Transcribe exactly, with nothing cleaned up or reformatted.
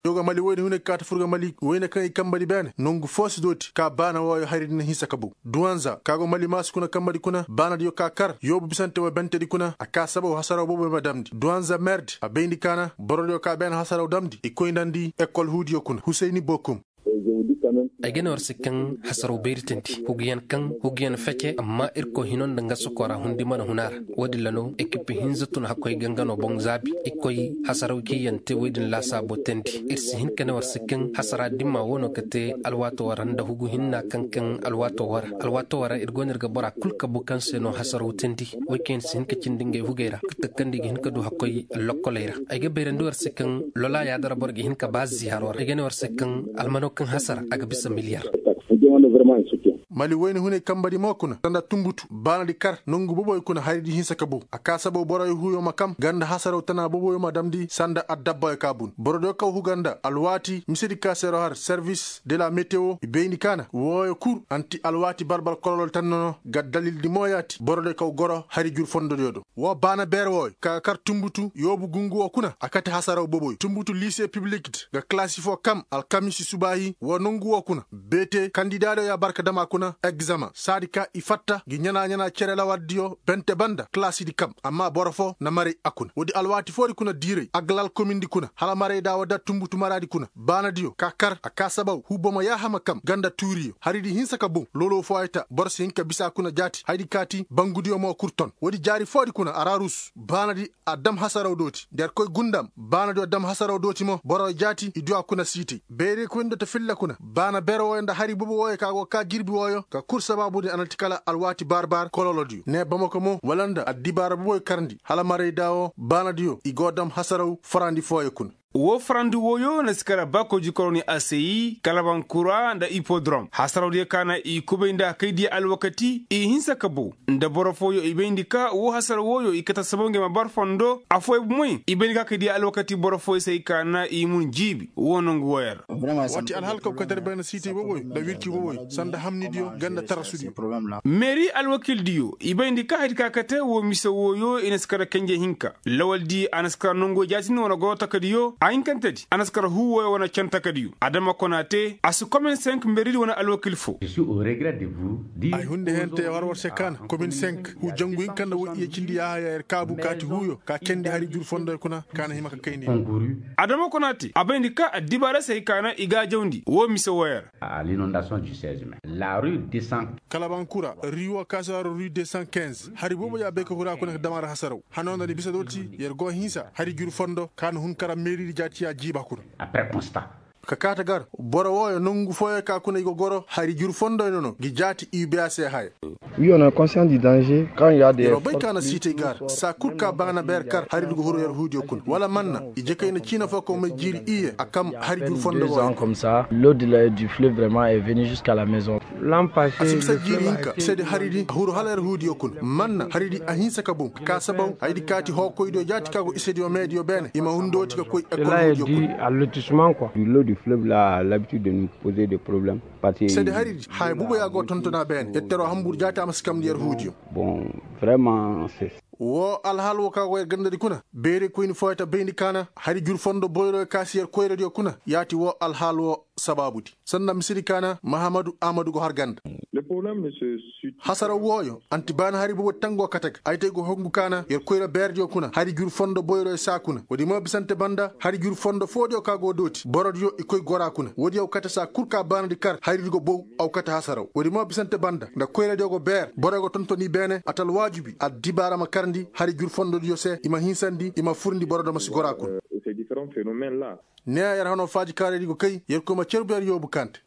Yogo mali woyne hune kaata furga mali woyne kaŋ i kambadi beene nongu foo si dooti ka baana wooyo hari di na hinsa ka bow duwanza ka go mali maasu kuna kambadi kuna baanadiyo ka kar yoobu bisante wa bentedi kuna a ka sabaw hasaraw booboy ma damndi duwanza merdi a bayndi kaana borodiyo ka beene hasaraw damndi i koy ndandi ekol huudiyo kuna husayni bookum. Ay ga ne war se kaŋ hasaraw bayri tandi huguyaŋ kaŋ huguyaŋ fece amma irkoy hino nda nga sokora hundi mana huna ra. Wo-din ra no ekipi hinza tun hakkoy ga nga no boŋ zaabi i koy hasaraw ciiyaŋ te wo-din laasaabo tandi. Ir si hin ka ne war se kaŋ hasara dimma wo no ka te alwaato wara nda hugu hinna kaŋ kaŋ alwaato wara alwaato wara ir go no ir ga bora kul kabu kaŋ se no hasaraw tandi. Way kaŋ ir si hin ka cindi ngey hugey ra ka takkandi i ga hin ka du hakkoy lokkoley ra. Ay ga bayrandi war se kaŋ lola yaada ra boro ga hin ka ba ziharo ra ay ga ne war se kaŋ almano kaŋ hasara a ga bisa miliyar. Mali wayna hunay kambadi mo kuna sanda tunbutu baanadi kar nongu boboyo kuna haridi hinsa ka bow a ka sabaw boroyo huyo ma kam ganda hasaraw tana boboyo ma damndi sanda addabbayo ka bun borodiyo kaw huga nda alwaati misedi ka seero har servis de la metewo i bayndi kaana wooyo kul anti alwaati balbal kololol tanna no ga dalildi mo yaati borodiyo kaw goro hari jur fondodiyo do. Woo baana beer wooyo ka ga kar tunbutu yoobu gungu woo kuna a kate hasaraw boboyo tunbutu liise piblik di ga kalaasi foo kam alkamisi subaahi woo nongu woo kuna beete kandidaadiyo ya barka dama kuna egzama saadi ka i fatta ngi ɲanaa-ɲanaa cere lawardiyo bente banda kalaasidi kam amma boro foo na maray a kuna woodi alwaati foodi kuna diiray agalal komindi kuna hala maraydaa woo da tunbutu maraadi kuna baanadiyo ka kar a ka sabaw huu bomo yaahama kam ganda tuuriyo haridi hinsa ka boŋ loloo fooyo ta boro si hin ka bisa kuna jaati haydi kaati bangudiyo mo kul ton woodi jaari foodi kuna ararus baanadi a dam hasaraw dooti nda yer koy gundam baanadiyo dam hasaraw dooti mo boro jaati i du a kuna siitay beerey koyndi ta filla kuna baana bere wooyo nda hari bobo wooyo ka go kaa jirbi wooyo ka kul sabaabudi a na ti kala alwaati baar-baar kololodiyo nee bamako mo wala nda addibaara boboyo karndi hala maraydaa woo baanadiyo i go dam hasaraw farandi fooyo kuna. Woo farandi wooyo na si kara baakooji koroni aseyi kalabankura nda ipodrom hasarawdiyo ka na i kubay nda kaydiyo alwakati i hinsa ka bow nda boro fooyo i bayndi ka woo hasara wooyo i kate sabaw ngey ma bar fondo afooyaŋ bomoy i bayndi ka kaydiyo alwakati boro fooyo se ay ka na i mun jiibi woo nongu wooyaŋ ra. Waati alhal kaw katar bayna siitay boboyo nda wirci boboyo sanda hamnidiyo ganda tarasudiyo. Meeri alwakildiyo i bayndi ka haydi ka kate woo mise wooyo i na si kara kenje hinka lawaldi a na si kara nonguyo jaatindi wane goro takadiyo a hinkantedi a na si kara huu wooyo wane can takadiyo adama konaate a si komin senk meeridi wane alwakil foo. Ay hunde hente war war se kaana komin senk huu jangu hinka nda woy iye cindi yaaha ya yer kaabu kaati huuyo ka cendi hari jur fondoyo kuna kaana hima ka kayndi. Adama konaate a bayndi ka addibaara se hay kaana i gaajawndi woo mise wooyo ra. Kalabankura riiwo kaasi war rui de san kinz hari boobo ya bay ka huru a kuna ka dam a ra hasaraw hanoo nda ni bisa dooti yer go hinsa hari jur fondo ka na hun kara meeridi jaati ya jiiba kuna. Ka kaate gar boro wooyo nongu fooyo ka kuna i go goro hari jur fondoyo no no ngi jaati iibeya se haya. Wi on a konsiyan di danze kaŋ ya de yeroo bay ka na siitay gar saa kul ka baana beer kar hari di go huru yer huudiyo kuna wala manna i jekay na ciina foo kaw may jiiri iye a kam hari jur fondo wooyo. Lodi la du flev vraiman e veni jiska la maison. A si bisa jiiri hinka isedi haridi a huru hala yer huudiyo kuna manna haridi a hinsa ka boŋ ka kaa sabaw haydi kaati hookoydiyo jaati ka go isediyo meediyo beene i ma hundooti ka koy ekol huudiyo kuna. Lodi flev la labitid de nu poze de problem. Sede haridi haya bubo ya go tontonaa beene yer teroo hambur jaati a ma si kamndi yer huudiyo. Woo alhaal woo ka go yer gandadi kuna beerey koyni fooyo ta bayndi kaana hari jur fondo boyroyo ka si yer koyradiyo kuna yaati woo alhaal woo sabaabudi sanda misedi kaana mahamadu amadu go har ganda. Hasaraw wooyo anti baana hari bobodi tangoo kate ga ay te go hongu kaana yer koyra beerdiyo kuna hari jur fondo boyroyo saa kuna woodi mo bisante banda hari jur fondo foodiyo ka go dooti borodiyo i koy goraa kuna woodi yaw kate saa kul ka baanadi kar haridi go bow aw kate hasaraw woodi mo bisante banda nda koyradiyo go beer boroyo go tonton i beene ata alwaajibi addibaara ma karndi hari jur fondodiyo se i ma hinsandi i ma furndi borodo ma si goraa kuna. Ne yer hanoo faaji kaaraydi go kay yer koy ma cerbu yer yoobu kaante.